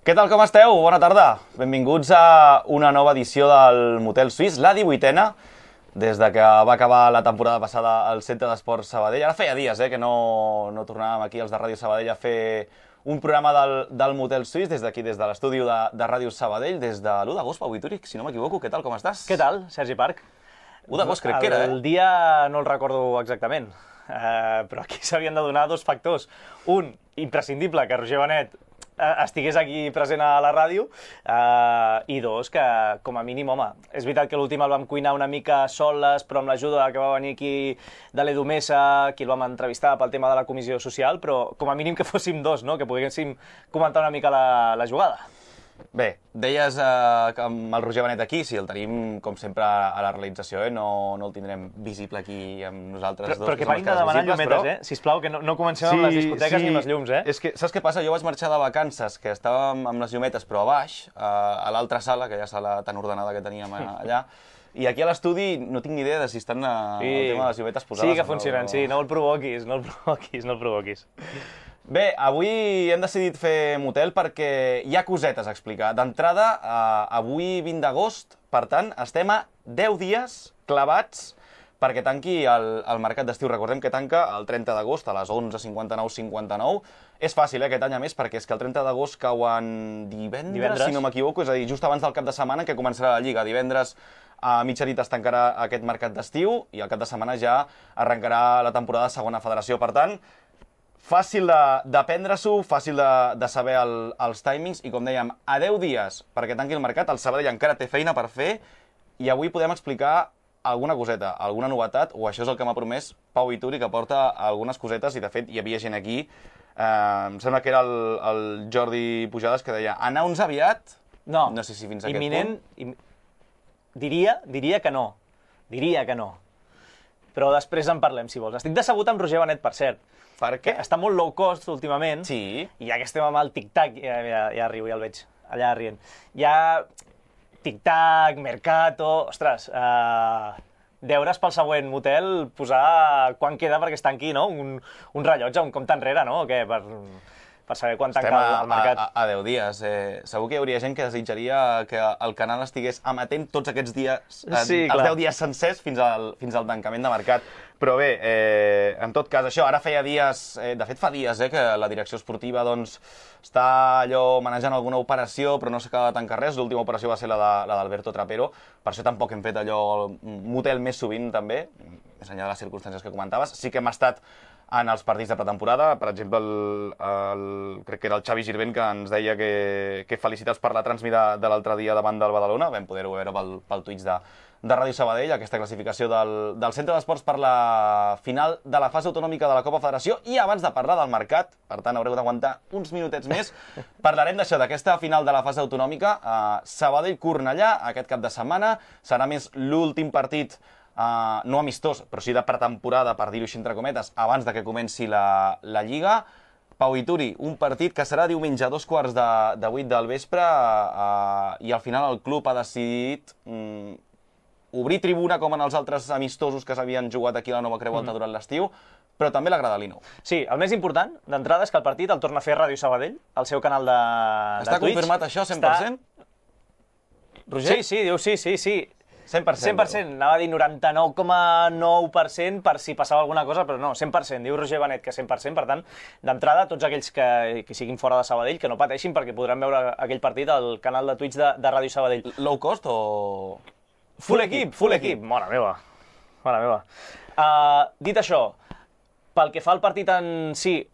Què tal, com esteu? Bona tarda. Benvinguts a una nova edició del Motel Suís, la 18a, des de que va acabar la temporada passada al Centre d'Esports Sabadell. Ara feia dies que no tornàvem aquí els de Ràdio Sabadell a fer un programa del Motel Suís, des d'aquí, des de l'estudi de Ràdio Sabadell, des de l'1 d'agost, Pau Vitúric, si no m'equivoco. Què tal, com estàs? Què tal, Sergi Parc? 1 d'agost crec que era, El dia no el recordo exactament, però aquí s'havien de donar dos factors. Un, imprescindible, que Roger Benet estigués aquí present a la ràdio, i dos, que com a mínim, home, és veritat que l'últim el vam cuinar una mica soles, però amb l'ajuda que va venir aquí de l'Edu Mesa, qui el vam entrevistar pel tema de la comissió social, però com a mínim que fóssim dos, no? Que poguéssim comentar una mica la jugada. Bé, deies que amb el Roger Benet aquí, sí, el tenim, com sempre, a la realització, no el tindrem visible aquí amb nosaltres dos. Però que parin de demanar llumetes, sisplau, que no comencem amb les discoteques ni amb les llums, És que, saps què passa? Jo vaig marxar de vacances, que estàvem amb les llumetes, però a baix, a l'altra sala, aquella sala tan ordenada que teníem allà, i aquí a l'estudi no tinc ni idea de si estan el tema de les llumetes posades. Sí que funcionen, sí, no el provoquis, no el provoquis. Bé, avui hem decidit fer motel perquè hi ha cosetes a explicar. D'entrada, avui 20 d'agost, per tant, estem a 10 dies clavats perquè tanqui el mercat d'estiu. Recordem que tanca el 30 d'agost a les 11:59:59. És fàcil, aquest any a més, perquè és que el 30 d'agost cauen divendres, si no m'equivoco, és a dir, just abans del cap de setmana que començarà la Lliga. Divendres a mitjanit es tancarà aquest mercat d'estiu i al cap de setmana ja arrencarà la temporada de segona federació. Per tant, fàcil de prendre-s'ho, fàcil de saber els timings i, com dèiem, a 10 dies perquè tanqui el mercat, el Sabadell encara té feina per fer i avui podem explicar alguna coseta, alguna novetat, o això és el que m'ha promès Pau Vituri, que porta algunes cosetes i, de fet, hi havia gent aquí. Em sembla que era el Jordi Pujades que deia anar uns aviat, no sé si fins a aquest punt. Diria que no, però després en parlem, si vols. Estic decebut amb Roger Benet, per cert. Per què? Està molt low cost últimament, sí. I ja que estem amb el tic-tac, ja riu, ja el veig, allà rient. Ja tic-tac, Mercato, ostres, deures pel següent motel, posar quan queda perquè es tanqui, no? Un rellotge, un compte enrere, no? O què? Per saber quan tanca el mercat. A 10 dies. Segur que hi hauria gent que desitjaria que el canal estigués amatent tots aquests dies, els 10 dies sencers fins al tancament de mercat. Però bé, en tot cas, això, ara feia dies, de fet fa dies, que la direcció esportiva doncs, està allò manejant alguna operació, però no s'acaba de tancar res. L'última operació va ser la d'Alberto Trapero, per això tampoc hem fet allò motel més sovint, també, més enllà de les circumstàncies que comentaves. Sí que hem estat en els partits de pretemporada, per exemple, crec que era el Xavi Girvent que ens deia que felicitats per la transmida de l'altre dia davant del Badalona, vam poder-ho veure pel Twitch de Ràdio Sabadell, aquesta classificació del Centre d'Esports per la final de la fase autonòmica de la Copa Federació. I abans de parlar del mercat, per tant haureu d'aguantar uns minutets més, parlarem d'això, d'aquesta final de la fase autonòmica. Sabadell-Cornellà, aquest cap de setmana, serà més l'últim partit no amistós, però sí de pretemporada, per dir-ho així entre cometes, abans de que comenci la Lliga. Pau Vituri, un partit que serà diumenge a 7:45 del vespre i al final el club ha decidit obrir tribuna com en els altres amistosos que s'havien jugat aquí a la Nova Creu Alta durant l'estiu, però també l'Agradalino. Sí, el més important, d'entrada, és que el partit el torna a fer Ràdio Sabadell, al seu canal de Twitch. Està confirmat això, 100%? Roger? Sí, diu sí. 100%. 100%, anava a dir 99,9% per si passava alguna cosa, però no, 100%. Diu Roger Benet que 100%, per tant, d'entrada, tots aquells que siguin fora de Sabadell, que no pateixin perquè podran veure aquell partit al canal de Twitch de Ràdio Sabadell. Low cost o...? Full equip. Mare meva. Dit això, pel que fa al partit en si,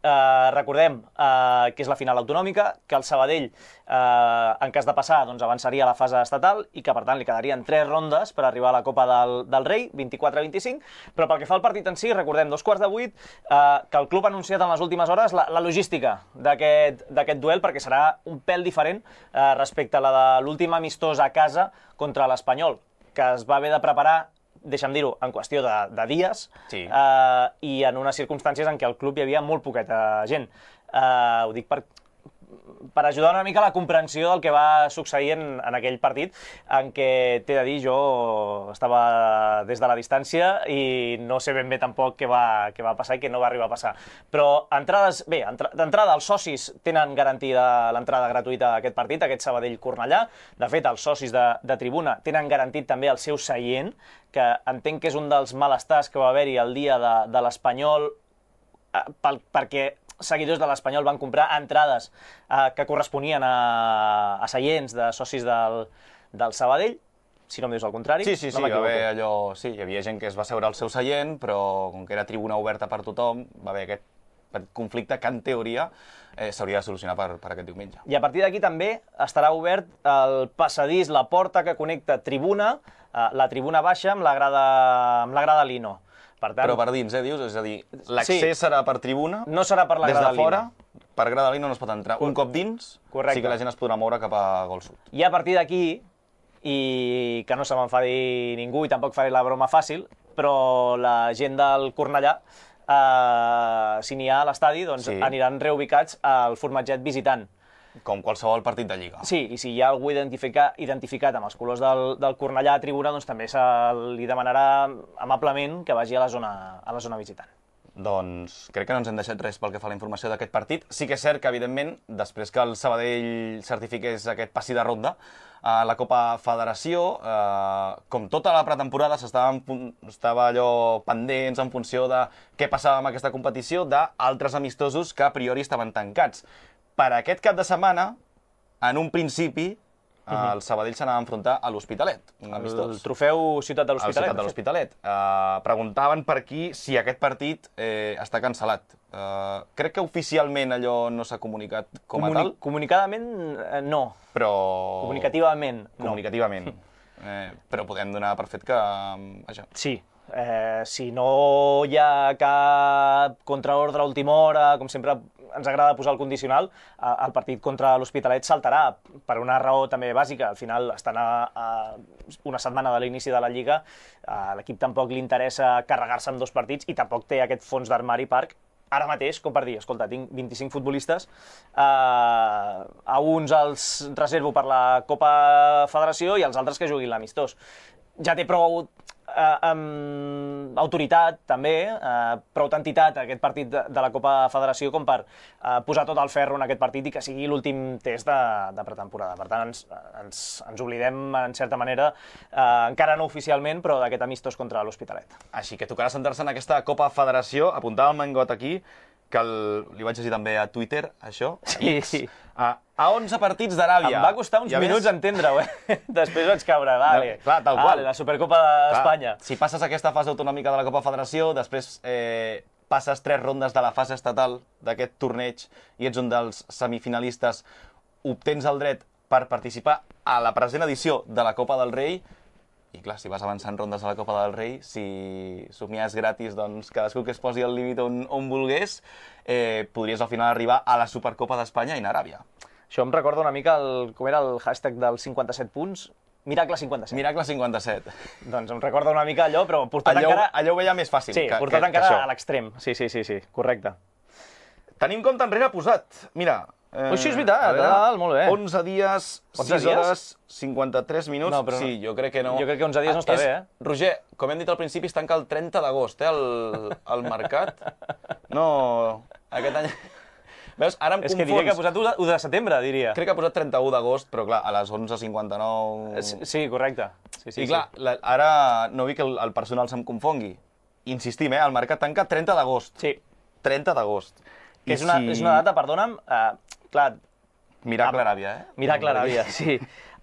recordem que és la final autonòmica, que el Sabadell, en cas de passar, doncs avançaria a la fase estatal i que, per tant, li quedarien 3 rondes per arribar a la Copa del Rei, 24-25, però pel que fa al partit en si, recordem, 7:15, que el club ha anunciat en les últimes hores la logística d'aquest duel, perquè serà un pèl diferent respecte a la de l'últim amistós a casa contra l'Espanyol, que es va haver de preparar, deixa'm dir-ho, en qüestió de dies, i en unes circumstàncies en què al club hi havia molt poqueta gent. Ho dic per ajudar una mica a la comprensió del que va succeir en aquell partit, en què, t'he de dir, jo estava des de la distància i no sé ben bé tampoc què va passar i què no va arribar a passar. Però entrades, bé, d'entrada els socis tenen garantida l'entrada gratuïta a aquest partit, aquest Sabadell-Cornellà. De fet, els socis de tribuna tenen garantit també el seu seient, que entenc que és un dels malestars que va haver-hi el dia de l'Espanyol, perquè seguidors de l'Espanyol van comprar entrades que corresponien a seients de socis del Sabadell, si no em dius el contrari. Sí, va haver allò... Sí, hi havia gent que es va seure al seu seient, però com que era tribuna oberta per tothom, va haver aquest conflicte que, en teoria, s'hauria de solucionar per aquest diumenge. I a partir d'aquí també estarà obert el passadís, la porta que connecta tribuna, la tribuna baixa amb la grada Lino. Per tant, però per dins, dius? És a dir, l'accés serà per tribuna, no serà per la grada des de fora, per grada Lino no es pot entrar. Un cop dins, correcte, sí que la gent es podrà moure cap a Gol Sud. I a partir d'aquí, i que no se m'enfadi ningú i tampoc faré la broma fàcil, però la gent del Cornellà, si n'hi ha a l'estadi, doncs aniran reubicats al formatget visitant. Com qualsevol partit de Lliga. Sí, i si hi ha algú identificat amb els colors del Cornellà a tribuna, doncs també se li demanarà amablement que vagi a la zona visitant. Doncs crec que no ens hem deixat res pel que fa a la informació d'aquest partit. Sí que és cert que, evidentment, després que el Sabadell certifiqués aquest passi de ronda, la Copa Federació, com tota la pretemporada, estava allò pendents en funció de què passava amb aquesta competició, d'altres amistosos que a priori estaven tancats. Per aquest cap de setmana, en un principi, el Sabadell s'anava a enfrontar a l'Hospitalet, un amistós. El trofeu Ciutat de l'Hospitalet. El Ciutat de l'Hospitalet. Preguntaven per aquí si aquest partit està cancel·lat. Crec que oficialment allò no s'ha comunicat com a tal. Comunicadament, no. Però... Comunicativament, no. Comunicativament. Però podem donar per fet que... Sí. Si no hi ha cap contraordre a última hora, com sempre ens agrada posar el condicional, el partit contra l'Hospitalet saltarà per una raó també bàsica. Al final, estan a una setmana de l'inici de la Lliga, a l'equip tampoc li interessa carregar-se amb 2 partits i tampoc té aquest fons d'armari Parc ara mateix, com per dir, escolta, tinc 25 futbolistes, a uns els reservo per la Copa Federació i els altres que juguin l'amistós. Ja té prou autoritat, també, prou entitat aquest partit de la Copa Federació com per posar tot el ferro en aquest partit i que sigui l'últim test de pretemporada. Per tant, ens oblidem, en certa manera, encara no oficialment, però d'aquest amistós contra l'Hospitalet. Així que tocarà centrar-se en aquesta Copa Federació. Apuntava el Mangot aquí, que li vaig dir també a Twitter, això. Sí. A 11 partits d'Aràbia. Em va costar uns minuts entendre-ho, Després vaig caure, vale. Clar, tal qual. La Supercopa d'Espanya. Si passes aquesta fase autonòmica de la Copa Federació, després passes 3 rondes de la fase estatal d'aquest torneig i ets un dels semifinalistes, obtens el dret per participar a la present edició de la Copa del Rei. I clar, si vas avançant rondes a la Copa del Rei, si somies gratis, doncs cadascú que es posi al límit on volgués, podries al final arribar a la Supercopa d'Espanya in Aràbia. Això em recorda una mica com era el hashtag dels 57 punts, Miracle 57. Miracle 57. Doncs em recorda una mica allò, però portat encara... Allò ho veia més fàcil. Sí, portat encara a l'extrem. Sí, correcte. Tenim compte enrere posat. Mira... Això és veritat, molt bé. 11 dies, 6 hores, 53 minuts... No, però sí, jo crec que no. Jo crec que 11 dies no està bé, Roger, com hem dit al principi, es tanca el 30 d'agost, el mercat. No, aquest any... Veus, ara em confons. És que diria que ha posat 1 de setembre, diria. Crec que ha posat 31 d'agost, però clar, a les 11:59... Sí, correcte. I clar, ara no vull que el personal se'm confongui. Insistim, el mercat tanca 30 d'agost. Sí. 30 d'agost. Que és una data, perdona'm, clar... Miracle Aràbia, Miracle Aràbia, sí.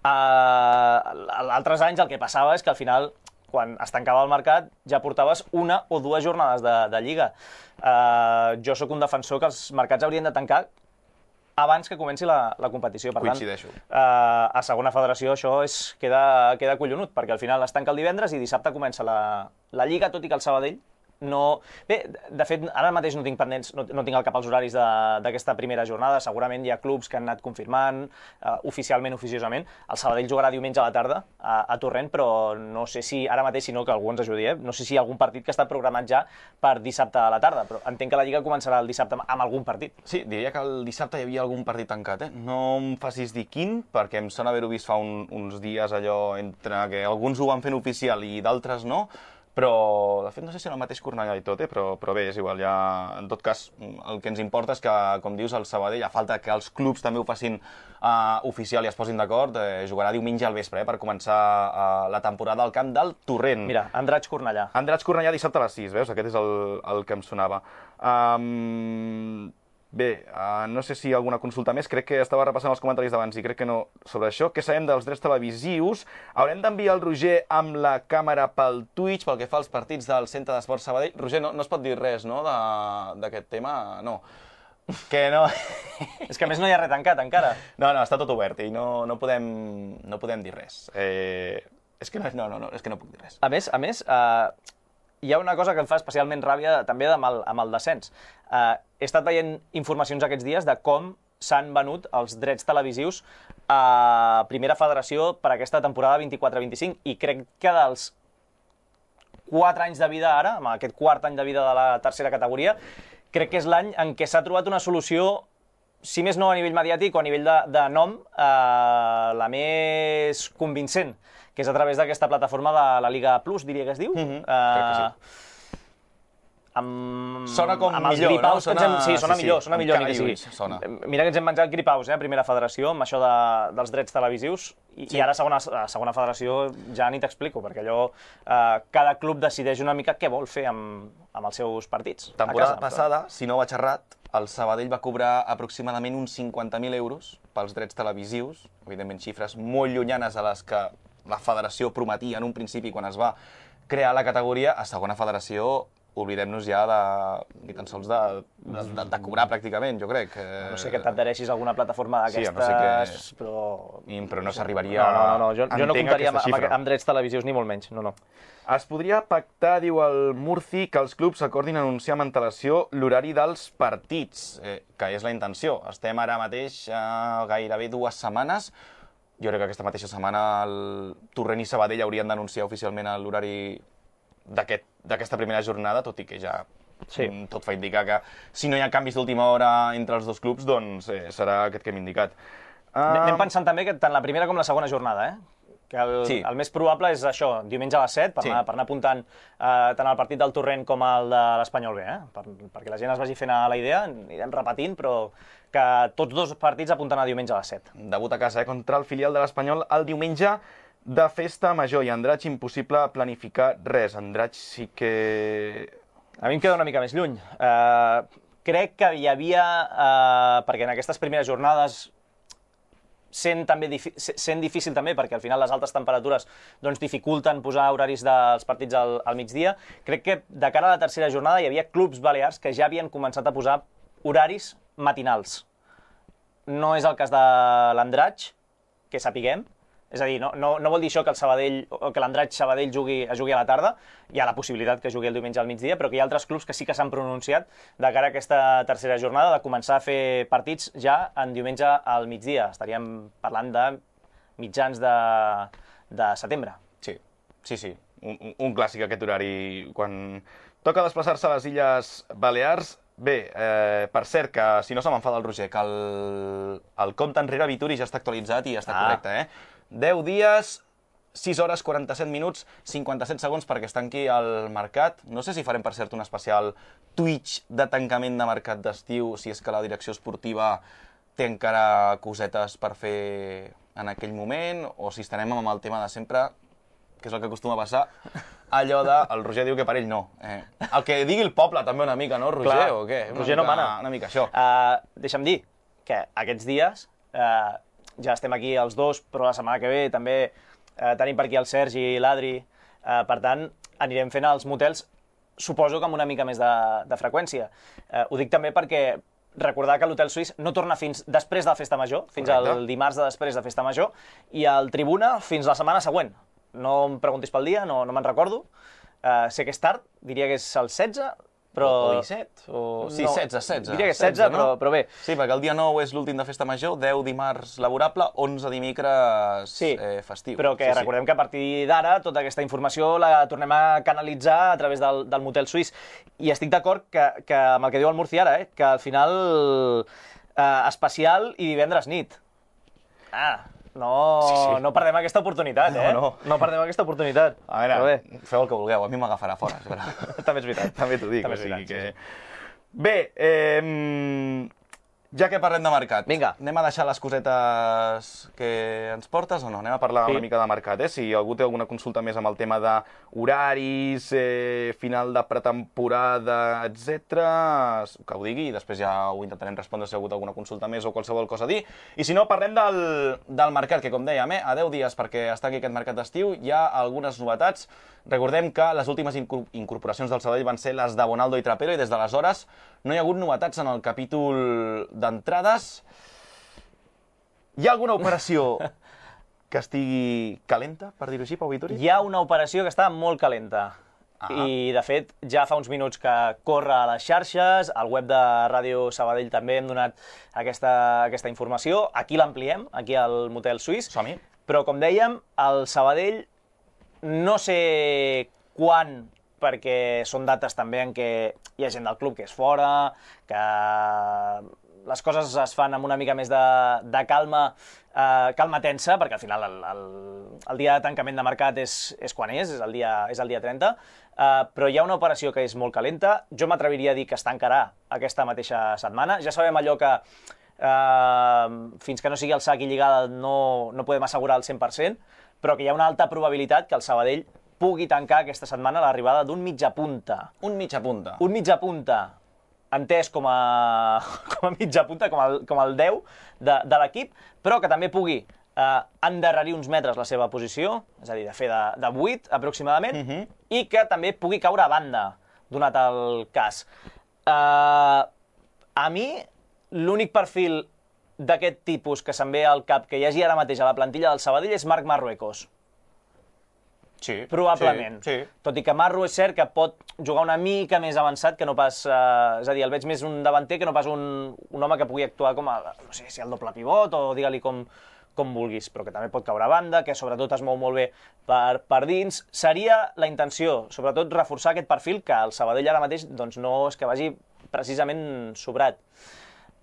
Altres anys el que passava és que al final, quan es tancava el mercat, ja portaves 1 o 2 jornades de Lliga. Jo sóc un defensor que els mercats haurien de tancar abans que comenci la competició. Per Coincideixo. tant, a segona federació això queda collonut, perquè al final es tanca el divendres i dissabte comença la Lliga, tot i que el Sabadell No... Bé, de fet, ara mateix no tinc pendents, no tinc al cap els horaris d'aquesta primera jornada. Segurament hi ha clubs que han anat confirmant oficialment, oficiosament. El Sabadell jugarà diumenge a la tarda a Torrent, però no sé si, ara mateix, si no, que algú ens ajudi, no sé si hi ha algun partit que està programat ja per dissabte a la tarda, però entenc que la Lliga començarà el dissabte amb algun partit. Sí, diria que el dissabte hi havia algun partit tancat, No em facis dir quin, perquè em sona haver-ho vist fa uns dies allò entre que alguns ho van fent oficial i d'altres no, però, de fet, no sé si era el mateix Cornellà i tot, però bé, és igual, ja, en tot cas, el que ens importa és que, com dius, el Sabadell, a falta que els clubs també ho facin oficial i es posin d'acord, jugarà diumenge al vespre, per començar la temporada al camp del Torrent. Mira, Andratx-Cornellà. Andratx-Cornellà dissabte a les 6, veus? Aquest és el que em sonava. Bé, no sé si alguna consulta més, crec que estava repassant els comentaris d'abans i crec que no sobre això. Què sabem dels drets televisius? Haurem d'enviar el Roger amb la càmera pel Twitch pel que fa als partits del Centre d'Esports Sabadell. Roger, no es pot dir res, no?, d'aquest tema? No. Que no... És que a més no hi ha res tancat encara. No, està tot obert i no podem dir res. És que no puc dir res. A més, hi ha una cosa que em fa especialment ràbia també amb el descens. He estat veient informacions aquests dies de com s'han venut els drets televisius a Primera Federació per aquesta temporada 24-25 i crec que dels 4 anys de vida ara, amb aquest quart any de vida de la tercera categoria, crec que és l'any en què s'ha trobat una solució, si més no a nivell mediàtic o a nivell de nom, la més convincent, que és a través d'aquesta plataforma de la Liga Plus, diria que es diu. Crec que sí. Sona com amb els millor, gripaus, no? Sí, sona millor, ni que sigui. Sona. Mira que ens hem menjat gripaus, a Primera Federació, amb això dels drets televisius, i ara a Segona Federació ja ni t'explico, perquè allò, cada club decideix una mica què vol fer amb els seus partits. Temporada passada, si no vaig errat, el Sabadell va cobrar aproximadament uns 50.000 euros pels drets televisius, evidentment xifres molt llunyanes a les que la federació prometia en un principi quan es va crear la categoria. A Segona Federació oblidem-nos ja ni tan sols de cobrar pràcticament, jo crec. No sé que t'adhereixis a alguna plataforma d'aquestes, però... Però no s'arribaria No, jo no comptaria amb drets televisius, ni molt menys, no. Es podria pactar, diu el Murci, que els clubs acordin anunciar amb antelació l'horari dels partits, que és la intenció. Estem ara mateix gairebé 2 setmanes. Jo crec que aquesta mateixa setmana el Torrent i Sabadell haurien d'anunciar oficialment l'horari d'aquesta primera jornada, tot i que ja tot fa indicar que si no hi ha canvis d'última hora entre els dos clubs, doncs serà aquest que hem indicat. Anem pensant també que tant la primera com la segona jornada, que el més probable és això, diumenge a les 7, per anar apuntant tant el partit del Torrent com el de l'Espanyol B, perquè la gent es vagi fent a la idea, anirem repetint, però que tots dos partits apunten a diumenge a les 7. Debut a casa, contra el filial de l'Espanyol el diumenge de festa major, i Andratx impossible planificar res. Andratx sí que... A mi em queda una mica més lluny. Crec que hi havia, perquè en aquestes primeres jornades, sent difícil també, perquè al final les altes temperatures dificulten posar horaris dels partits al migdia, crec que de cara a la tercera jornada hi havia clubs balears que ja havien començat a posar horaris matinals. No és el cas de l'Andratx, que sapiguem. És a dir, no vol dir això que el Sabadell o que l'Andratx Sabadell jugui a la tarda, hi ha la possibilitat que jugui el diumenge al migdia, però que hi ha altres clubs que sí que s'han pronunciat de cara a aquesta tercera jornada de començar a fer partits ja en diumenge al migdia. Estaríem parlant de mitjans de setembre. Sí. Un clàssic aquest horari. Quan toca desplaçar-se a les Illes Balears, bé, per cert, que si no se m'enfada el Roger, que el compte enrere Vituri ja està actualitzat i ja està correcte, 10 dies, 6 hores, 47 minuts, 57 segons perquè es tanqui el mercat. No sé si farem, per cert, un especial Twitch de tancament de mercat d'estiu, si és que la direcció esportiva té encara cosetes per fer en aquell moment, o si estarem amb el tema de sempre, que és el que acostuma a passar, allò de... El Roger diu que per ell no. El que digui el poble també una mica, no, Roger? Clar, o què? Roger no mana. Una mica això. Deixa'm dir que aquests dies... ja estem aquí els dos, però la setmana que ve també tenim per aquí el Sergi i l'Adri. Per tant, anirem fent els motels, suposo que amb una mica més de freqüència. Ho dic també perquè recordar que l'Hotel Suís no torna fins després de la Festa Major, fins al dimarts de després de Festa Major, i el Tribuna fins la setmana següent. No em preguntis pel dia, no me'n recordo, sé que és tard, diria que és el 16, però... O 17? Sí, 16. Diria que és 16, però bé. Sí, perquè el dia 9 és l'últim de festa major, 10 dimarts laborable, 11 dimecres festiu. Però que recordem que a partir d'ara tota aquesta informació la tornem a canalitzar a través del motel suís. I estic d'acord que amb el que diu el Murci ara, que al final especial i divendres nit. No perdem aquesta oportunitat, No perdem aquesta oportunitat. A veure, feu el que vulgueu, a mi m'agafarà fora. També és veritat. També t'ho dic. Bé, ja que parlem de mercat, vinga, anem a deixar les cosetes que ens portes o no? Anem a parlar una mica de mercat, Si algú té alguna consulta més amb el tema d'horaris, final de pretemporada, etc., que ho digui i després ja ho intentarem respondre si hi ha hagut alguna consulta més o qualsevol cosa a dir. I si no, parlem del mercat, que com dèiem, a 10 dies perquè està aquí aquest mercat d'estiu, hi ha algunes novetats. Recordem que les últimes incorporacions del Sabadell van ser les de Bonaldo i Trapero i des d'aleshores no hi ha hagut novetats en el capítol d'entrades. Hi ha alguna operació que estigui calenta, per dir-ho així, Pau Vitori? Hi ha una operació que està molt calenta. I, de fet, ja fa uns minuts que corre a les xarxes, al web de Ràdio Sabadell també hem donat aquesta informació. Aquí l'ampliem, aquí al motel suís. Som-hi. Però, com dèiem, el Sabadell no sé quan, perquè són dates també en què hi ha gent del club que és fora, que les coses es fan amb una mica més de calma tensa, perquè al final el dia de tancament de mercat és quan és el dia 30, però hi ha una operació que és molt calenta. Jo m'atreviria a dir que es tancarà aquesta mateixa setmana. Ja sabem allò que fins que no sigui el sac i lligada no podem assegurar el 100%, però que hi ha una alta probabilitat que el Sabadell pugui tancar aquesta setmana l'arribada d'un mitjapunta. Un mitjapunta. Un mitjapunta, entès com a mitjapunta, com el 10 de l'equip, però que també pugui endarrerir uns metres la seva posició, és a dir, de fer de 8 aproximadament, i que també pugui caure a banda, donat el cas. A mi, l'únic perfil d'aquest tipus que se'm ve al cap que hi hagi ara mateix a la plantilla del Sabadell és Marc Marruecos. Sí. Probablement. Sí. Tot i que Marru és cert que pot jugar una mica més avançat que no pas... és a dir, el veig més un davanter que no pas un home que pugui actuar com a, no sé, si el doble pivot o digue-li com vulguis, però que també pot caure a banda, que sobretot es mou molt bé per dins. Seria la intenció, sobretot, reforçar aquest perfil que el Sabadell ara mateix doncs, no és que vagi precisament sobrat.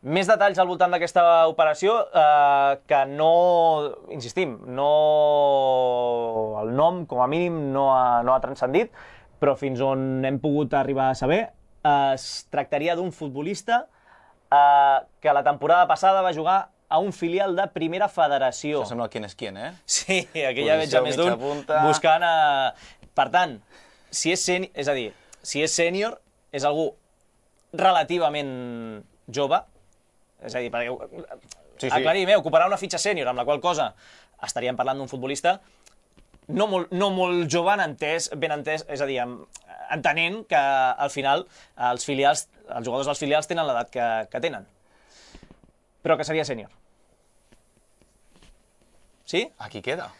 Més detalls al voltant d'aquesta operació, que no, insistim, el nom, com a mínim, no ha transcendit, però fins on hem pogut arribar a saber, es tractaria d'un futbolista que la temporada passada va jugar a un filial de Primera Federació. Això sembla quién és quién, Sí, aquí ja veig a més d'un buscant... Per tant, si és sènior, és algú relativament jove, és a dir, perquè aclarim, ocuparà una fitxa sènior, amb la qual cosa estaríem parlant d'un futbolista no molt jove, ben entès, és a dir, entenent que al final els jugadors dels filials tenen l'edat que tenen, però que seria sènior. Sí? Aquí queda.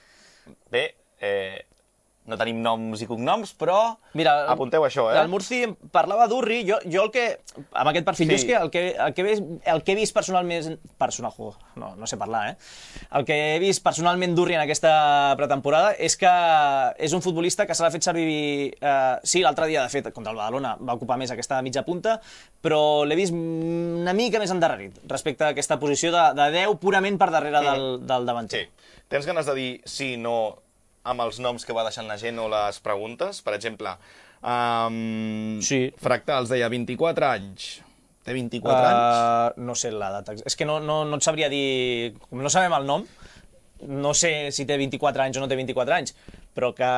Bé, no tenim noms i cognoms, però mira, apunteu això, El Murci parlava d'Urri, jo el que, amb aquest perfil, jo és que el que he vist personalment, no sé parlar, el que he vist personalment d'Urri en aquesta pretemporada és que és un futbolista que se l'ha fet servir, sí, l'altre dia, de fet, contra el Badalona va ocupar més aquesta mitja punta, però l'he vist una mica més endarrerit respecte a aquesta posició de 10 purament per darrere del davanter. Sí. Tens ganes de dir sí, no, amb els noms que va deixant la gent o les preguntes? Per exemple, Fractals deia 24 anys. Té 24 anys? No sé l'edat. És que no et sabria dir... Com no sabem el nom, no sé si té 24 anys o no té 24 anys, però que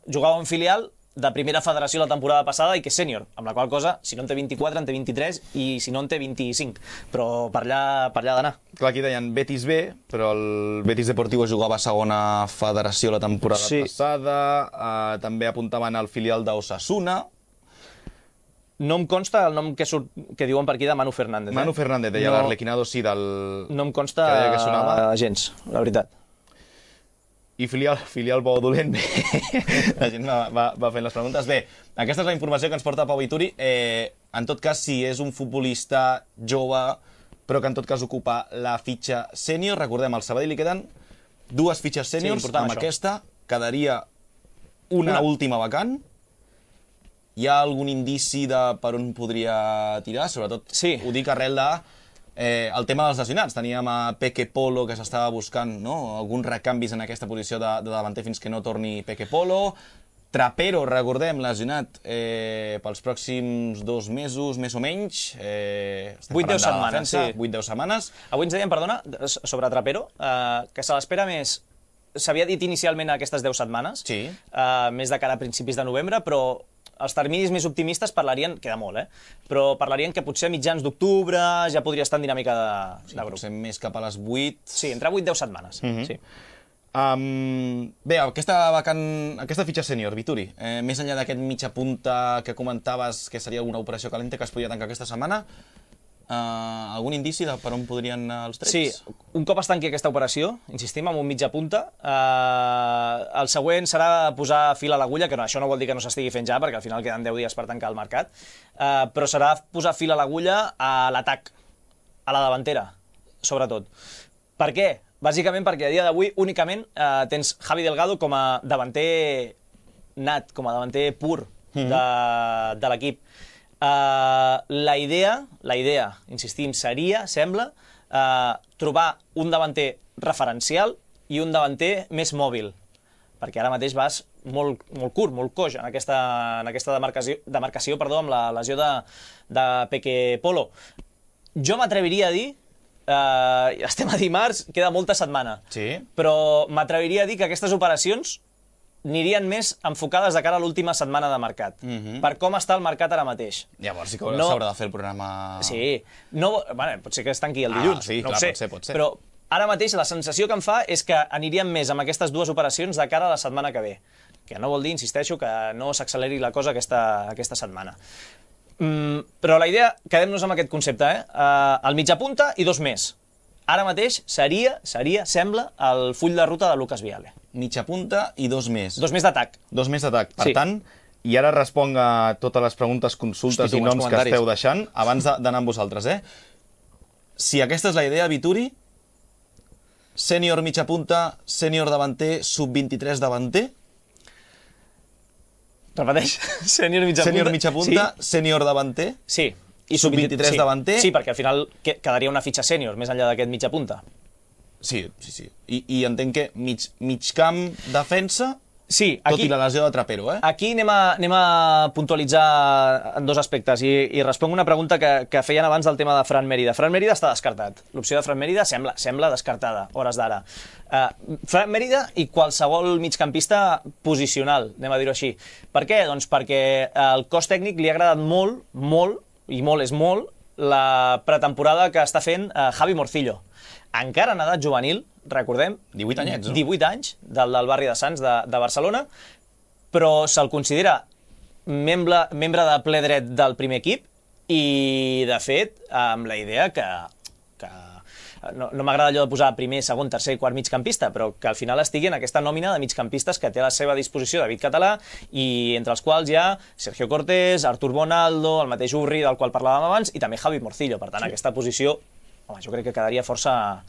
jugava en filial de Primera Federació la temporada passada i que és sènior, amb la qual cosa, si no en té 24, en té 23 i si no en té 25, però per allà d'anar. Clar, aquí deien Betis B, però el Betis Deportivo jugava a Segona Federació la temporada passada, també apuntaven al filial d'Osasuna. No em consta el nom que diuen per aquí de Manu Fernández. Manu Fernández, deia l'Arlequinado, sí, del... No em consta gens, la veritat. I filial bo dolent, bé, la gent va fent les preguntes. Bé, aquesta és la informació que ens porta Pau Vituri. En tot cas, si és un futbolista jove, però que en tot cas ocupa la fitxa sènior, recordem, al Sabadell li queden 2 fitxes sèniors, amb aquesta quedaria una última vacant. Hi ha algun indici de per on podria tirar? Sobretot ho dic arrel de el tema dels lesionats. Teníem a Peque Polo, que s'estava buscant alguns recanvis en aquesta posició de davanter fins que no torni Peque Polo. Trapero, recordem, lesionat pels pròxims 2 mesos, més o menys. 8-10 setmanes, sí. 8-10 setmanes. Avui ens deien, perdona, sobre Trapero, que se l'espera més... S'havia dit inicialment aquestes 10 setmanes, més de cara a principis de novembre, però els terminis més optimistes parlarien, queda molt, però parlarien que potser a mitjans d'octubre ja podria estar en dinàmica de grup. Potser més cap a les 8... Sí, entre 8 i 10 setmanes, sí. Bé, aquesta fitxa sènior, Vituri, més enllà d'aquest mitja punta que comentaves que seria alguna operació calenta que es podria tancar aquesta setmana, algun indici de per on podrien anar els trets? Sí, un cop es tanqui aquesta operació, insistim, amb un mitja punta, el següent serà posar fil a l'agulla, que això no vol dir que no s'estigui fent ja, perquè al final queden 10 dies per tancar el mercat, però serà posar fil a l'agulla a l'atac, a la davantera, sobretot. Per què? Bàsicament perquè a dia d'avui únicament tens Javi Delgado com a davanter nat, com a davanter pur de l'equip. La idea, insistim, seria, sembla, trobar un davanter referencial i un davanter més mòbil, perquè ara mateix vas molt curt, molt coix en aquesta demarcació amb la lesió de Peque Polo. Jo m'atreviria a dir, estem a dimarts, queda molta setmana, però m'atreviria a dir que aquestes operacions anirien més enfocades de cara a l'última setmana de mercat, per com està el mercat ara mateix. Llavors sí que s'haurà de fer el programa... Sí, pot ser que es tanqui el dilluns, no ho sé, pot ser. Però ara mateix la sensació que em fa és que aniríem més amb aquestes 2 operacions de cara a la setmana que ve, que no vol dir, insisteixo, que no s'acceleri la cosa aquesta setmana. Però la idea, quedem-nos amb aquest concepte, el mitja punta i 2 més. Ara mateix seria, sembla, el full de ruta de Lucas Viale. Mitja punta i 2 més. 2 més d'atac. 2 més d'atac. Per tant, i ara responc a totes les preguntes, consultes i noms que esteu deixant, abans d'anar amb vosaltres, Si aquesta és la idea, Vituri, sènior mitja punta, sènior davanter, sub-23 davanter... Repeteix, sènior mitja punta, sènior davanter... Sí. I sub-23 davanter... Sí, perquè al final quedaria una fitxa sènior, més enllà d'aquest mitja punta. Sí. I entenc que mig camp, defensa, tot i la lesió de Trapero, Aquí anem a puntualitzar en 2 aspectes i responc una pregunta que feien abans del tema de Fran Mérida. Fran Mérida està descartat. L'opció de Fran Mérida sembla descartada, hores d'ara. Fran Mérida i qualsevol migcampista posicional, anem a dir-ho així. Per què? Doncs perquè el cos tècnic li ha agradat molt, i molt és molt, la pretemporada que està fent Javi Morcillo. Encara en edat juvenil, recordem... 18 anyets, no? 18 anys, del barri de Sants de Barcelona, però se'l considera membre de ple dret del primer equip i, de fet, amb la idea que no m'agrada allò de posar primer, segon, tercer, quart migcampista, però que al final estigui en aquesta nòmina de migcampistes que té a la seva disposició David Català i entre els quals hi ha Sergio Cortés, Artur Bonaldo, el mateix Urri, del qual parlàvem abans, i també Javi Morcillo. Per tant, aquesta posició, jo crec que quedaria força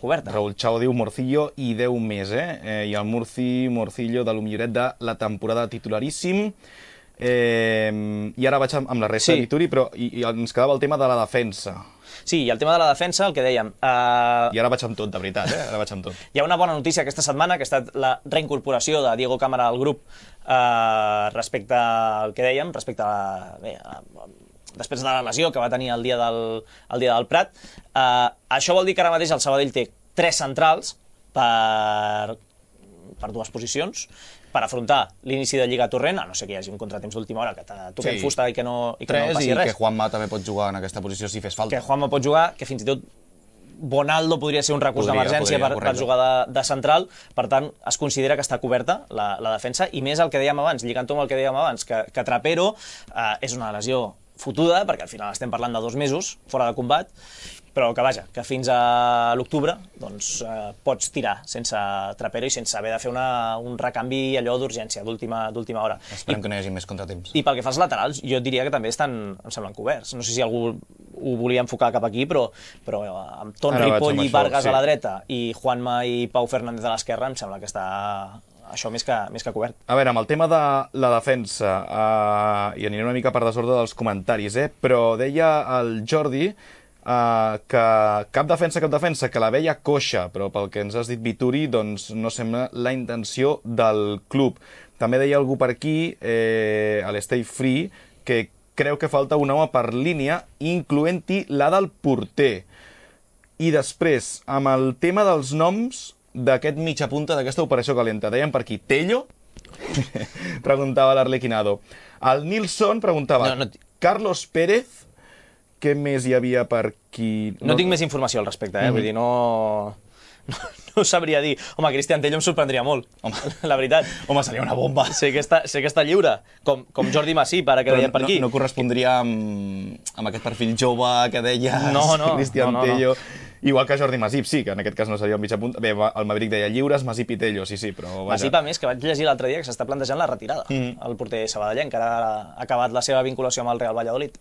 coberta. Raúl Chao diu Morcillo i 10 més, i el Morcillo de lo milloret de la temporada titularíssim. I ara vaig amb la resta, Vituri, però ens quedava el tema de la defensa. Sí, i el tema de la defensa, el que dèiem... I ara vaig amb tot, de veritat, ara vaig amb tot. Hi ha una bona notícia aquesta setmana, que ha estat la reincorporació de Diego Cámara al grup respecte al que dèiem, respecte a... després de la lesió que va tenir el dia del Prat. Això vol dir que ara mateix el Sabadell té 3 centrals per 2 posicions, per afrontar l'inici de Lliga Torrent, a no ser que hi hagi un contratemps d'última hora que toquem fusta i que no passi res. I que Juanma també pot jugar en aquesta posició si fes falta. Que Juanma pot jugar, que fins i tot Bonaldo podria ser un recurs d'emergència per jugar de central. Per tant, es considera que està coberta la defensa, i més el que dèiem abans, lligant amb el que dèiem abans, que Trapero és una lesió fotuda, perquè al final estem parlant de 2 mesos fora de combat, però que vaja, que fins a l'octubre doncs, pots tirar sense trapero i sense haver de fer un recanvi allò d'urgència, d'última hora. Esperem que no hi hagi més contratemps. I pel que fa als laterals, jo diria que també estan, em semblen, coberts. No sé si algú ho volia enfocar cap aquí, però amb Ton Ripoll i Vargas a la dreta i Juanma i Pau Fernández a l'esquerra, em sembla que està això més que cobert. A veure, amb el tema de la defensa, i aniré una mica per desordre dels comentaris, però deia el Jordi que cap defensa, que la veia coixa, però pel que ens has dit, Vituri, doncs no sembla la intenció del club. També deia algú per aquí, a l'Stay Free, que creu que falta un home per línia, incloent-hi la del porter. I després, amb el tema dels noms d'aquest mitja punta d'aquesta operació calenta, deien per aquí, Tello? Preguntava l'Arlequinado. El Nilsson preguntava, Carlos Pérez? Què més hi havia per aquí? No tinc més informació al respecte, vull dir, no ho sabria dir. Home, Cristian Tello em sorprendria molt, la veritat. Home, seria una bomba. Sé que està lliure, com Jordi Masip, ara que deien per aquí. No correspondria amb aquest perfil jove que deia Cristian Tello. Igual que Jordi Masip, sí, que en aquest cas no seria el mitja punta. Bé, el Maverick deia lliures, Masip i Tello, sí, però... Masip, a més, que vaig llegir l'altre dia que s'està plantejant la retirada. El porter sabadellenc, que ara ha acabat la seva vinculació amb el Real Valladolid.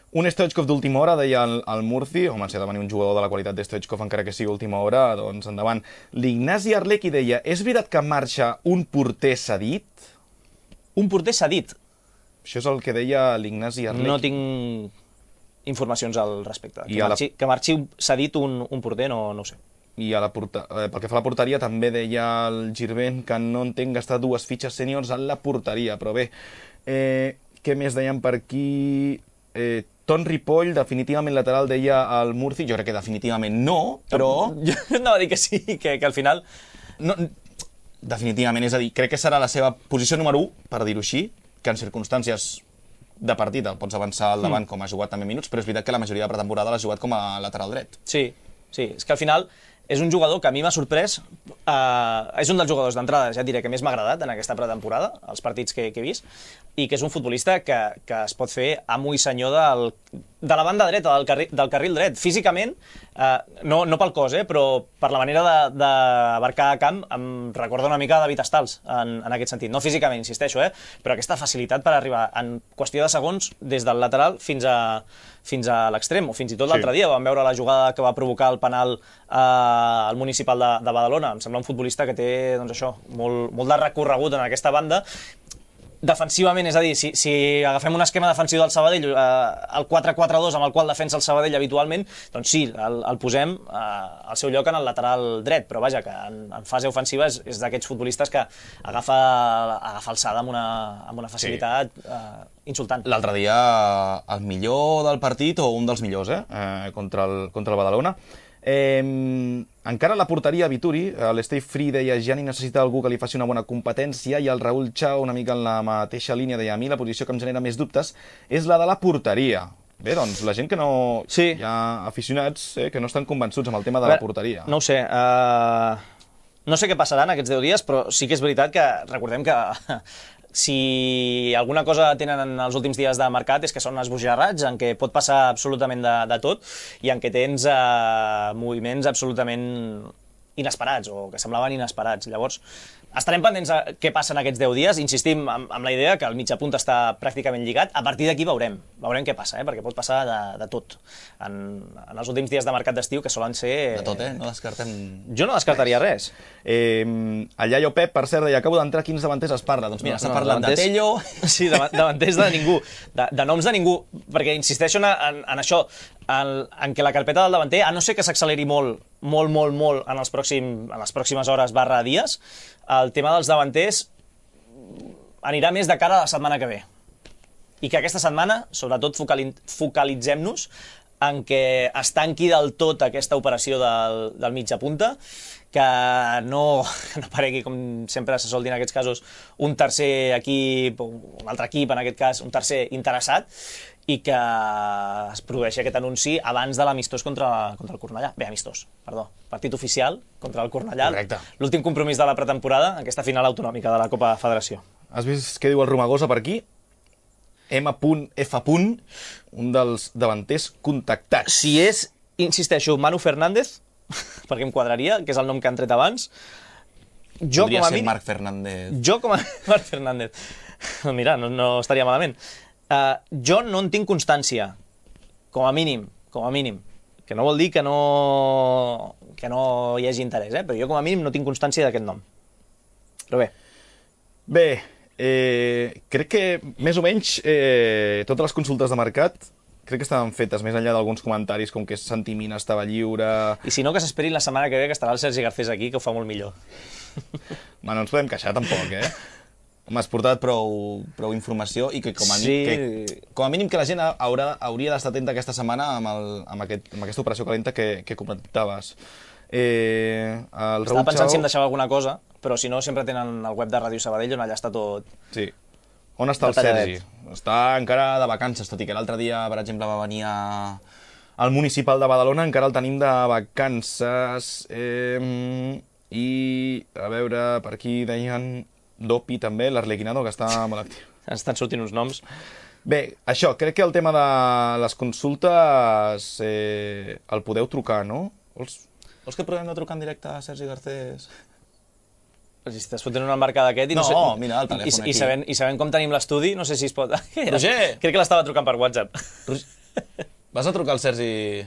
Un Stoichkov d'última hora, deia el Murci. Home, si ha de venir un jugador de la qualitat de Stoichkov, encara que sigui última hora, doncs endavant. L'Ignasi Arlequi deia, és veritat que marxa un porter cedit? Un porter cedit? Això és el que deia l'Ignasi Arlequi. No tinc informacions al respecte. Que marxi cedit un porter, no ho sé. I pel que fa a la porteria, també deia el Girvent que no entenc gastar 2 fitxes sèniors en la porteria, però bé, què més deien per aquí? Ton Ripoll, definitivament lateral, deia el Murci. Jo crec que definitivament no, però... Jo anava a dir que sí, que al final... No, definitivament, és a dir, crec que serà la seva posició número 1, per dir-ho així, que en circumstàncies de partit el pots avançar al davant com ha jugat també minuts, però és veritat que la majoria de pretemporada l'ha jugat com a lateral dret. Sí, és que al final és un jugador que a mi m'ha sorprès, és un dels jugadors d'entrada, ja et diré, que més m'ha agradat en aquesta pretemporada, els partits que he vist, i que és un futbolista que es pot fer amo i senyor de la banda dreta, del carril dret. Físicament, no pel cos, però per la manera d'abarcar camp, em recorda una mica David Stals, en aquest sentit. No físicament, insisteixo, però aquesta facilitat per arribar en qüestió de segons des del lateral fins a l'extrem, o fins i tot l'altre dia vam veure la jugada que va provocar el penal al Municipal de Badalona. Em sembla un futbolista que té, doncs això, molt de recorregut en aquesta banda. Defensivament, és a dir, si agafem un esquema defensiu del Sabadell, el 4-4-2 amb el qual defensa el Sabadell habitualment, doncs sí, el posem al seu lloc en el lateral dret, però vaja, que en fase ofensiva és d'aquests futbolistes que agafa alçada amb una facilitat insultant. L'altre dia, el millor del partit, o un dels millors, contra el Badalona. Encara la porteria Vituri, l'Stay Free deia Gianni necessita algú que li faci una bona competència, i el Raül Chao, una mica en la mateixa línia, deia a mi la posició que em genera més dubtes és la de la porteria. Bé, doncs la gent que no... Sí. Hi ha aficionats que no estan convençuts amb el tema de la porteria. No ho sé, no sé què passarà en aquests 10 dies, però sí que és veritat que recordem que si alguna cosa tenen en els últims dies de mercat és que són esbojarrats, en què pot passar absolutament de tot i en què tens moviments absolutament inesperats o que semblaven inesperats. Llavors, estarem pendents de què passa en aquests 10 dies. Insistim amb la idea que el mitja punt està pràcticament lligat. A partir d'aquí veurem què passa, perquè pot passar de tot. En els últims dies de mercat d'estiu, que solen ser... De tot, no descartem... Jo no descartaria res. El Iaio Pep, per cert, deia, acabo d'entrar, quins davanters es parla? Doncs mira, s'ha parlat de Tello... Sí, davanters de ningú, de noms de ningú, perquè insisteixo en això, en què la carpeta del davanter, a no ser que s'acceleri molt en les pròximes hores / dies, el tema dels davanters anirà més de cara a la setmana que ve. I que aquesta setmana, sobretot, focalitzem-nos en què es tanqui del tot aquesta operació del mitja punta, que no aparegui, com sempre se sol dir en aquests casos, un tercer equip, un altre equip, en aquest cas, un tercer interessat, i que es produeixi aquest anunci abans de l'amistós contra el Cornellà. Bé, partit oficial contra el Cornellà. Correcte. L'últim compromís de la pretemporada, aquesta final autonòmica de la Copa Federació. Has vist què diu el Romagosa per aquí? M.F. un dels davanters contactats. Si és, insisteixo, Manu Fernández, perquè em quadraria, que és el nom que han tret abans, podria ser Marc Fernández. Jo com a Marc Fernández. Mira, no estaria malament. Jo no en tinc constància, com a mínim, que no vol dir que no hi hagi interès, però jo com a mínim no tinc constància d'aquest nom. Però bé. Bé, crec que més o menys totes les consultes de mercat crec que estaven fetes, més enllà d'alguns comentaris com que Santi Mina estava lliure... I si no, que s'esperin la setmana que ve, que estarà el Sergi Garcés aquí, que ho fa molt millor. No ens podem queixar tampoc, Home, has portat prou informació i que com a mínim que la gent hauria d'estar atenta aquesta setmana amb aquesta operació calenta que comentaves. Estava pensant si em deixava alguna cosa, però si no sempre tenen el web de Ràdio Sabadell on allà està tot... Sí. On està el Sergi? Està encara de vacances, tot i que l'altre dia, per exemple, va venir al Municipal de Badalona, encara el tenim de vacances. I, a veure, per aquí deien Dopi també, l'Arlequinado, que està molt actiu. Estan sortint uns noms. Bé, això, crec que el tema de les consultes el podeu trucar, no? Vols que provem de trucar en directe a Sergi Garcés? Si estàs fotent una embarcada d'aquest... No, mira, el telèfon aquí. I sabent com tenim l'estudi, no sé si es pot... Roger! Crec que l'estava trucant per WhatsApp. Vas a trucar al Sergi...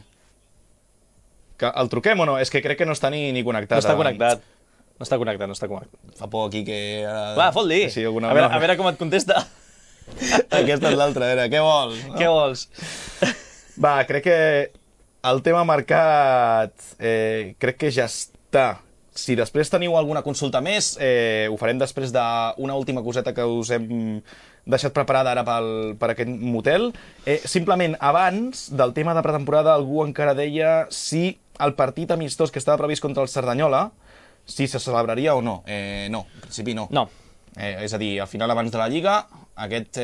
El truquem o no? És que crec que no està ni connectat. No està connectat. No està connectat. Fa por aquí que... Va, fot-li. A veure com et contesta. Aquesta és l'altra, a veure, què vols? Què vols? Va, crec que el tema mercat crec que ja està. Si després teniu alguna consulta més, ho farem després d'una última coseta que us hem deixat preparada ara per aquest motel. Simplement, abans del tema de pretemporada, algú encara deia si el partit amistós que estava previst contra el Cerdanyola, si se celebraria o no. No, en principi no. No. És a dir, al final, abans de la Lliga, aquest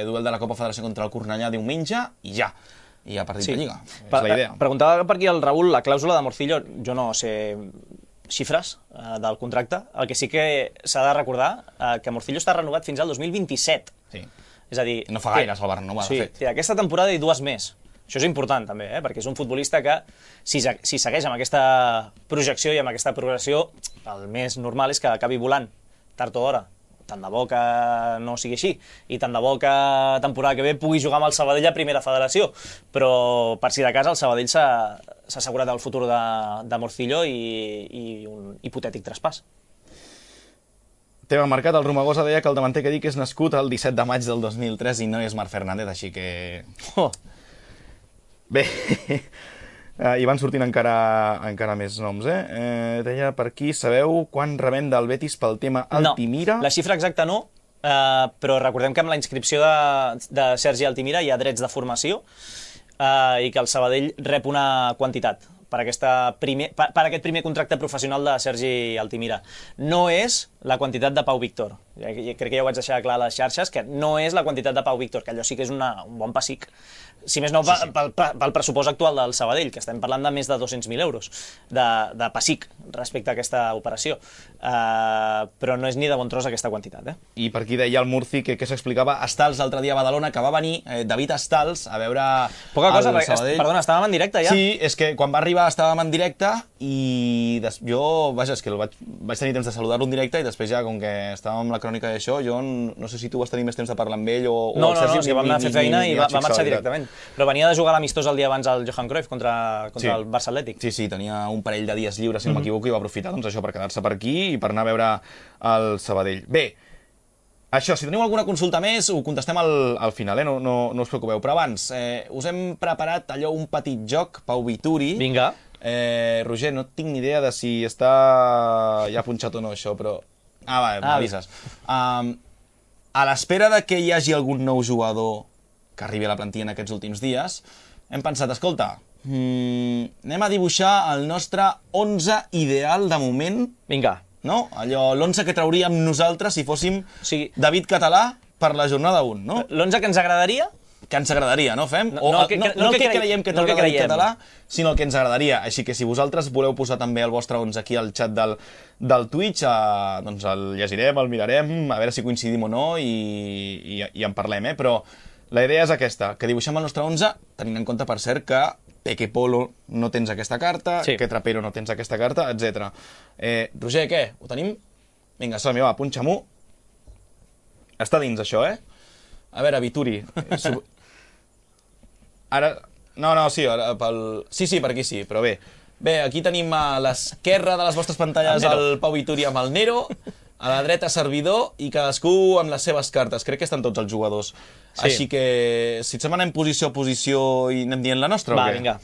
duel de la Copa Federació contra el Cornellà diumenge i ja. I a partit de Lliga. És la idea. Preguntava per aquí el Raül, la clàusula de Morcillo, jo no sé xifres del contracte. El que sí que s'ha de recordar que Morcillo està renovat fins al 2027. Sí. És a dir... No fa gaire el Barnova, de fet. Sí, aquesta temporada i 2 més. Això és important, també, perquè és un futbolista que, si segueix amb aquesta projecció i amb aquesta progressió, el més normal és que acabi volant, tard o d'hora. Tant de bo que no sigui així, i tant de bo que temporada que ve pugui jugar amb el Sabadell a primera federació, però per si de cas el Sabadell s'ha assegurat el futur de Morcillo i un hipotètic traspàs. Tema marcat, el Romagosa deia que el davanter que dic és nascut el 17 de maig del 2003 i no és Marc Fernández, així que... Bé, i van sortint encara més noms, deia per aquí, sabeu quan rebem del Betis pel tema Altimira? No, la xifra exacta no, però recordem que amb la inscripció de Sergi Altimira hi ha drets de formació i que el Sabadell rep una quantitat per aquest primer contracte professional de Sergi Altimira. No és la quantitat de Pau Víctor. Crec que ja ho vaig deixar clar a les xarxes, que no és la quantitat de Pau Víctor, que allò sí que és un bon pessic. Si més no, pel pressupost actual del Sabadell, que estem parlant de més de 200.000 euros de pessic respecte a aquesta operació. Però no és ni de bon tros aquesta quantitat. I per aquí deia el Murci que s'explicava Stals l'altre dia a Badalona, que va venir David Stals a veure poca cosa, perquè, perdona, estàvem en directe ja? Sí, és que quan va arribar estàvem en directe i jo, vaja, és que vaig tenir temps de saludar-lo en directe i després ja, com que estàvem amb la crònica d'això, jo no sé si tu vas tenir més temps de parlar amb ell o el Sergi. No, és que vam anar a fer feina i va marxar directament. Però venia de jugar l'amistós el dia abans al Johan Cruyff contra el Barça Atlètic. Sí, tenia un parell de dies lliures, si no m'equivoco, i va aprofitar això per quedar-se per aquí i per anar a veure el Sabadell. Bé, això, si teniu alguna consulta més, ho contestem al final, no us preocupeu. Però abans, us hem preparat allò, un petit joc, Pau Vituri. Vinga. Roger, no tinc ni idea de si està ja punxat o no, això, però... m'avises. A l'espera de que hi hagi algun nou jugador que arribi a la plantilla en aquests últims dies, hem pensat, escolta, anem a dibuixar el nostre 11 ideal de moment. Vinga. No? Allò, l'11 que trauríem nosaltres si fóssim David Català per la jornada 1, no? L'11 que ens agradaria? Que ens agradaria, no fem? No el que creiem que traurà David Català, sinó el que ens agradaria. Així que si vosaltres voleu posar també el vostre 11 aquí al xat del Twitch, doncs el llegirem, el mirarem, a veure si coincidim o no i en parlem, però La idea és aquesta, que dibuixem el nostre 11, tenint en compte, per cert, que Peque Polo no tens aquesta carta, que Trapero no tens aquesta carta, etc. Roger, què? Ho tenim? Vinga, som-hi, va, punxa-m'ho. Està dins, això, A veure, Vituri. Ara... No, sí, per aquí sí, però bé. Bé, aquí tenim a l'esquerra de les vostres pantalles el Pau Vituri amb el Nero, a la dreta servidor i cadascú amb les seves cartes. Crec que estan tots els jugadors. Així que, si et sembla, anem posició a posició i anem dient la nostra o què? Va, vinga.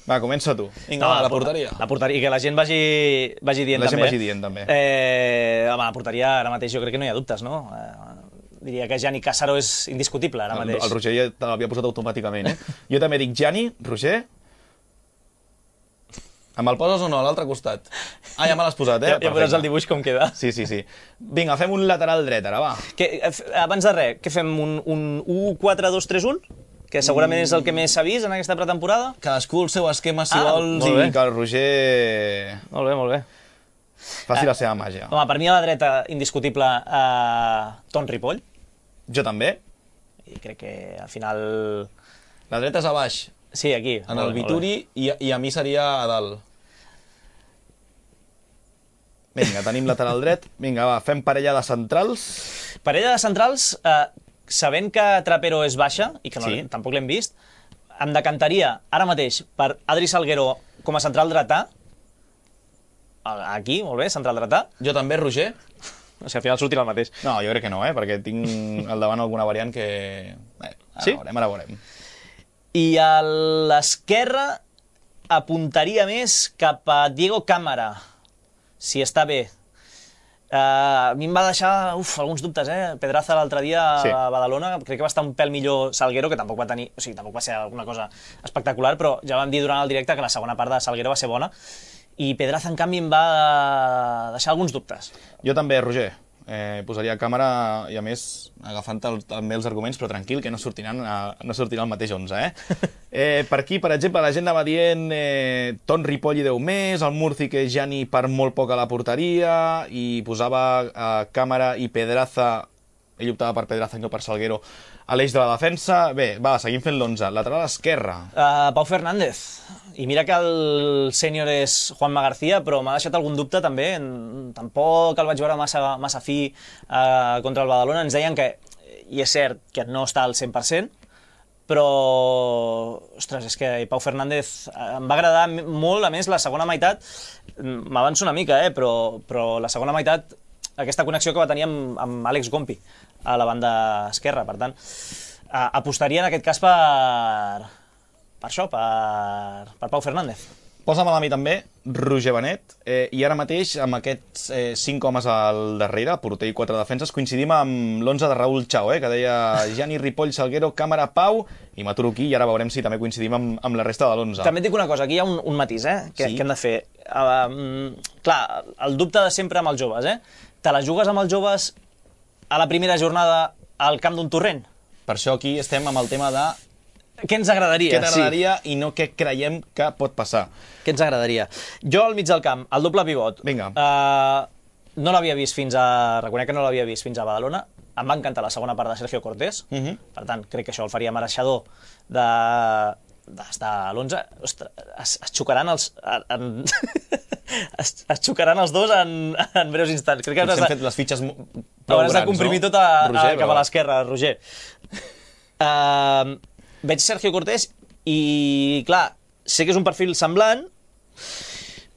Va, comença tu. Vinga, la porteria. La porteria, que la gent vagi dient també. La gent vagi dient també. Home, la porteria ara mateix jo crec que no hi ha dubtes, no? Diria que Gianni Cassaro és indiscutible ara mateix. El Roger ja te l'havia posat automàticament, Jo també dic Gianni, Roger... Em el poses o no, a l'altre costat? Ja me l'has posat, Ja veuràs el dibuix com queda. Sí. Vinga, fem un lateral dret, ara, va. Abans de res, què fem? Un 1-4-2-3-1? Que segurament és el que més s'ha vist en aquesta pretemporada? Cadascú el seu esquema, si vols, i que el Roger... Molt bé. Faci la seva màgia. Home, per mi a la dreta, indiscutible, Ton Ripoll. Jo també. I crec que al final... La dreta és a baix. Sí, aquí. En el Vituri, i a mi seria a dalt. Vinga, tenim lateral dret. Vinga, va, fem parella de centrals. Parella de centrals, sabent que Trapero és baixa, i que tampoc l'hem vist, em decantaria ara mateix per Adri Salguero com a central dretà. Aquí, molt bé, central dretà. Jo també, Roger. O sigui, al final sortirà el mateix. No, jo crec que no, perquè tinc al davant alguna variant que... Ara veurem. I a l'esquerra apuntaria més cap a Diego Cámara, si està bé. A mi em va deixar alguns dubtes, Pedraza l'altre dia a Badalona, crec que va estar un pèl millor Salguero, que tampoc va tenir, o sigui, tampoc va ser alguna cosa espectacular, però ja vam dir durant el directe que la segona part de Salguero va ser bona, i Pedraza, en canvi, em va deixar alguns dubtes. Jo també, Roger. Posaria càmera i, a més, agafant també els arguments, però tranquil, que no sortirà el mateix 11, Per aquí, per exemple, la gent anava dient Ton Ripoll i 10 més, el Murci que Gianni per molt poc a la porteria, i posava càmera i Pedraza, ell optava per Pedraza i no per Salguero, a l'eix de la defensa. Bé, va, seguim fent l'11. Lateral esquerra. Pau Fernández. I mira que el sènior és Juanma García, però m'ha deixat algun dubte també. Tampoc el vaig veure massa fi contra el Badalona. Ens deien que, i és cert, que no està al 100%, però, ostres, és que Pau Fernández em va agradar molt. A més, la segona meitat, m'avanço una mica, però la segona meitat, aquesta connexió que va tenir amb Àlex Gompi a la banda esquerra. Per tant, apostaria en aquest cas per Pau Fernández. Posa'm a mi també, Roger Benet, i ara mateix, amb aquests 5 homes al darrere, porter i 4 defenses, coincidim amb l'11 de Raúl Chao, que deia Gianni, Ripoll, Salguero, Càmera, Pau, i m'aturo aquí, i ara veurem si també coincidim amb la resta de l'11. També et dic una cosa, aquí hi ha un matís, que hem de fer. Clar, el dubte de sempre amb els joves, Te la jugues amb els joves a la primera jornada al camp d'un torrent? Per això aquí estem amb el tema de... Què ens agradaria? Què t'agradaria i no què creiem que pot passar. Què ens agradaria? Jo al mig del camp, el doble pivot. Vinga. No l'havia vist fins a... Reconec que no l'havia vist fins a Badalona. Em va encantar la segona part de Sergio Cortés. Per tant, crec que això el faria mereixedor d'estar a l'11. Ostres, es xocaran els... es xocaran els dos en breus instants. Crec que hem fet les fitxes prou grans, hauràs de comprimir tot cap a l'esquerra, Roger. Veig Sergio Cortés i, clar, sé que és un perfil semblant.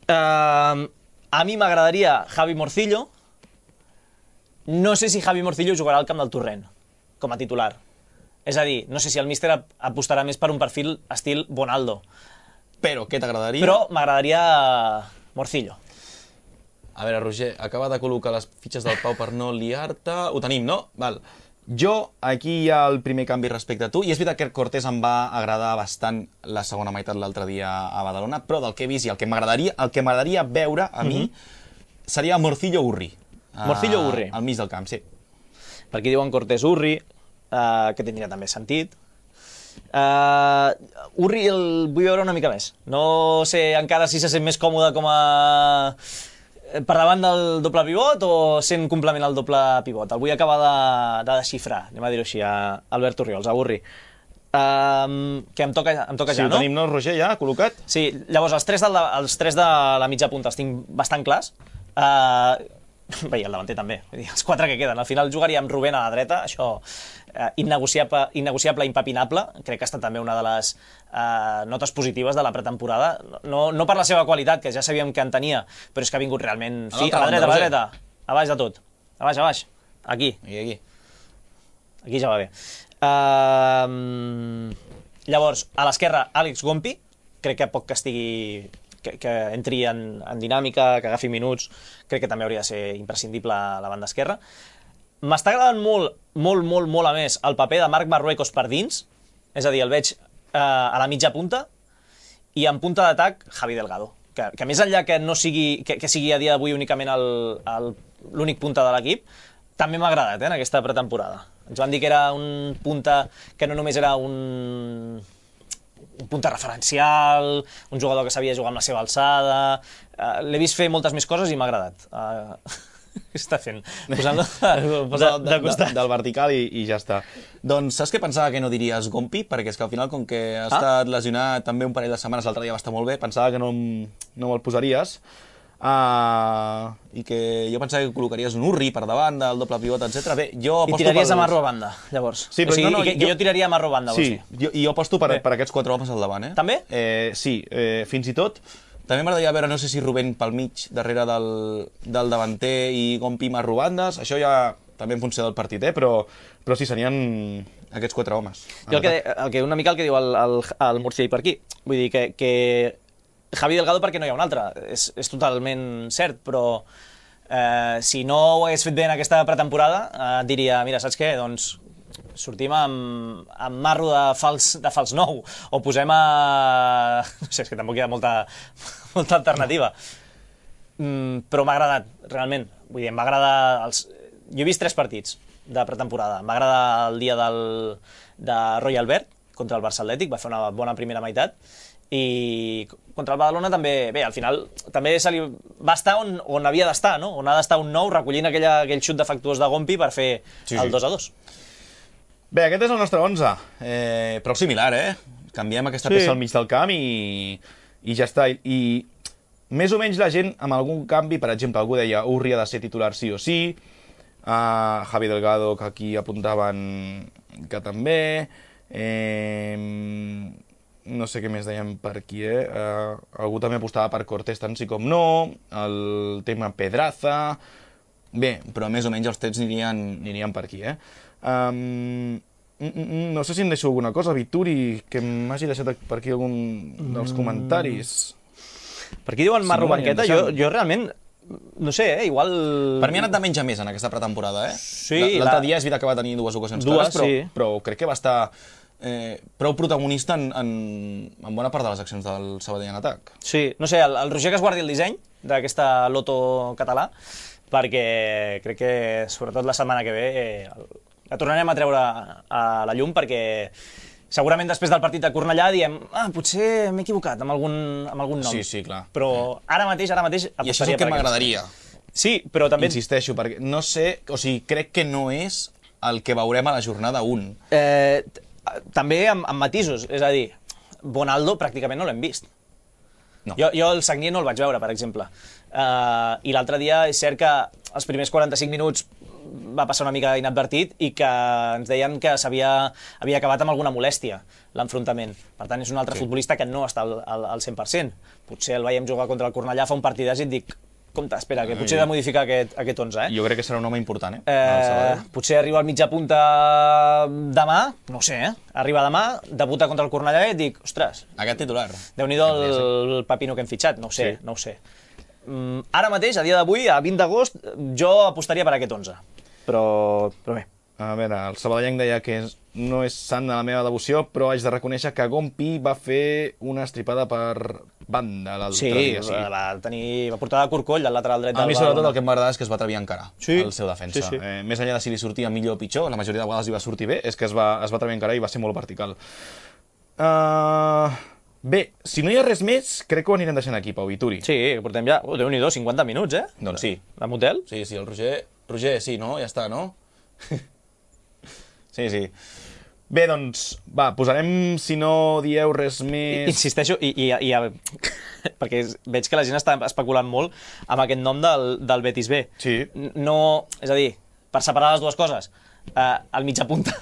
A mi m'agradaria Javi Morcillo. No sé si Javi Morcillo jugarà al camp del Torrent com a titular. És a dir, no sé si el míster apostarà més per un perfil estil Bonaldo. Però què t'agradaria? Però m'agradaria Morcillo. A veure, Roger, acaba de col·locar les fitxes del Pau per no liar-te. Ho tenim, no? Val. Jo, aquí hi ha el primer canvi respecte a tu, i és veritat que Cortés em va agradar bastant la segona meitat l'altre dia a Badalona, però del que he vist i el que m'agradaria veure a mi seria Morcillo-Urri. Morcillo-Urri. Al mig del camp, sí. Per aquí diuen Cortés-Urri, que tindria també sentit. Urri el vull veure una mica més. No sé encara si se sent més còmode com a... per davant del doble pivot o sent complement al doble pivot. El vull acabar de desxifrar, anem a dir-ho així, a Albert Orriols, a Urri. Que em toca Sí, ja, ho no? tenim, no, Roger, ja col·locat? Sí, llavors els tres de la mitja punta els tinc bastant clars. Bé, i el davanter també. Vull dir, els quatre que queden. Al final jugaria amb Rubén a la dreta, això innegociable, impepinable. Crec que ha estat també una de les notes positives de la pretemporada. No per la seva qualitat, que ja sabíem que en tenia, però és que ha vingut realment fi. A la dreta, a baix de tot. A baix. Aquí. Aquí ja va bé. Llavors, a l'esquerra, Àlex Gompi. Crec que poc que estigui... que entri en dinàmica, que agafi minuts, crec que també hauria de ser imprescindible a la banda esquerra. M'està agradant molt a més el paper de Marc Marruecos per dins, és a dir, el veig a la mitja punta, i en punta d'atac, Javi Delgado, que més enllà que no sigui, que sigui a dia d'avui únicament l'únic punta de l'equip, també m'ha agradat en aquesta pretemporada. Ens van dir que era un punta que no només era un punta referencial, un jugador que sabia jugar amb la seva alçada... L'he vist fer moltes més coses i m'ha agradat. Què està fent? Posant-lo de costat. Del vertical i ja està. Doncs saps què pensava que no diries Gompi? Perquè és que al final, com que ha estat lesionat també un parell de setmanes, l'altre dia va estar molt bé, pensava que no me'l posaries. I que jo pensava que col·locaries un Urri per davant del doble pivot, etc. Bé, jo aposto... I tiraries a Marro a banda, llavors. Sí, però jo tiraria a Marro a banda, sí, jo aposto per aquests quatre homes al davant, eh? També? Sí, fins i tot... També m'agradaria veure, no sé si Rubén pel mig, darrere del davanter i Gompi Marro bandes, això ja també en funció del partit, però sí, serien aquests quatre homes. Jo una mica el que diu el Murciell per aquí. Vull dir que Javi Delgado perquè no hi ha un altre, és totalment cert, però si no ho hagués fet bé en aquesta pretemporada, diria, mira, saps què? Doncs sortim amb Marro de fals 9, o posem a... No sé, és que tampoc hi ha molta alternativa. Però m'ha agradat, realment. Vull dir, m'agrada... Jo he vist 3 partits de pretemporada. M'agrada el dia de Roy Albert contra el Barça Atlètic, va fer una bona primera meitat, i contra el Badalona també, bé, al final també va estar on havia d'estar, no? On ha d'estar un 9 recollint aquell xut defectuós de Gompi per fer el 2-2. Bé, aquest és el nostre 11, però similar, Canviem aquesta peça al mig del camp i ja està. I més o menys la gent, amb algun canvi, per exemple, algú deia Urri ha de ser titular sí o sí, Javi Delgado, que aquí apuntaven que també, no sé què més dèiem per aquí, algú també apostava per Cortés tant sí com no, el tema Pedraza... Bé, però més o menys els trets anirien per aquí, no sé si em deixo alguna cosa, Vituri, que m'hagi deixat per aquí algun dels comentaris. Per aquí diuen Marro Banqueta, jo realment... No sé, igual... Per mi ha anat de menys a més en aquesta pretemporada, Sí. L'altre dia és veritat que va tenir 2 ocasions clares, però crec que va estar prou protagonista en bona part de les accions del Sabadell en atac. Sí, no sé, el Roger que es guardi el disseny d'aquesta loto català, perquè crec que, sobretot la setmana que ve, la tornarem a treure a la llum, perquè segurament després del partit de Cornellà diem potser m'he equivocat amb algun nom. Sí, clar. Però ara mateix apostaria per I això és el que m'agradaria. Sí, però també... Insisteixo, perquè no sé, o sigui, crec que no és el que veurem a la jornada 1. També amb matisos, és a dir, Bonaldo pràcticament no l'hem vist. No. Jo el Sagnier no el vaig veure, per exemple. I l'altre dia és cert que els primers 45 minuts va passar una mica inadvertit i que ens deien que havia acabat amb alguna molèstia l'enfrontament. Per tant, és un altre futbolista que no està al 100%. Potser el veiem jugar contra el Cornellà fa un partidàs i et dic, compte, espera, que potser he de modificar aquest 11, Jo crec que serà un home important, potser arriba al mitja punta demà, no ho sé, arriba demà, debuta contra el Cornellà i et dic, ostres, aquest titular. Déu-n'hi-do el pepino que hem fitxat, no ho sé. Ara mateix, a dia d'avui, a 20 d'agost, jo apostaria per aquest 11. Però bé. A veure, el sabadellenc deia que no és sant de la meva devoció, però haig de reconèixer que Gompi va fer una estripada per banda l'altre dia. Sí, va portar de corcoll al lateral dret del Badalona. A mi sobretot el que m'agrada és que es va atrevir a encarar el seu defensa. Sí. Més enllà de si li sortia millor o pitjor, la majoria de vegades li va sortir bé, és que es va atrevir a encarar i va ser molt vertical. Bé, si no hi ha res més, crec que ho anirem deixant aquí, Pau Vituri. Sí, portem ja, Déu-n'hi-do, 50 minuts, Doncs sí. Amb hotel? Sí, el Roger, sí, no? Ja està, no? Sí. Bé, doncs, va, posarem, si no dieu res més... Insisteixo, perquè veig que la gent està especulant molt amb aquest nom del Betis B. Sí. No, és a dir, per separar les dues coses, el mitja punta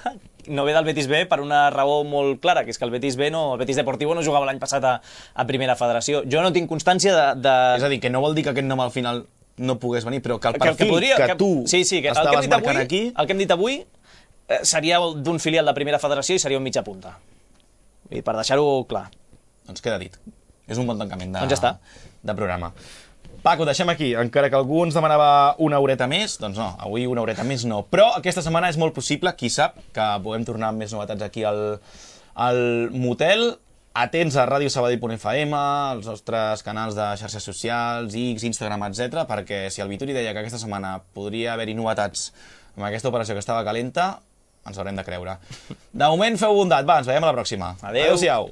no ve del Betis B per una raó molt clara, que és que el Betis B, el Betis Deportivo no jugava l'any passat a Primera Federació. Jo no tinc constància de... És a dir, que no vol dir que aquest nom al final no pogués venir, però que el perfil que tu estaves marcant aquí... El que hem dit avui seria d'un filial de Primera Federació i seria un mitja punta. I per deixar-ho clar. Doncs queda dit. És un bon tancament Doncs ja està. de programa. Paco, deixem aquí. Encara que algú ens demanava una horeta més, doncs no, avui una horeta més no. Però aquesta setmana és molt possible, qui sap, que puguem tornar amb més novetats aquí al motel. Atents a radiosabadell.fm, als nostres canals de xarxes socials, X, Instagram, etc, perquè si el Vituri deia que aquesta setmana podria haver-hi novetats amb aquesta operació que estava calenta, ens haurem de creure. De moment, feu bondat. Va, ens veiem a la pròxima. Adéu. Adéu-siau.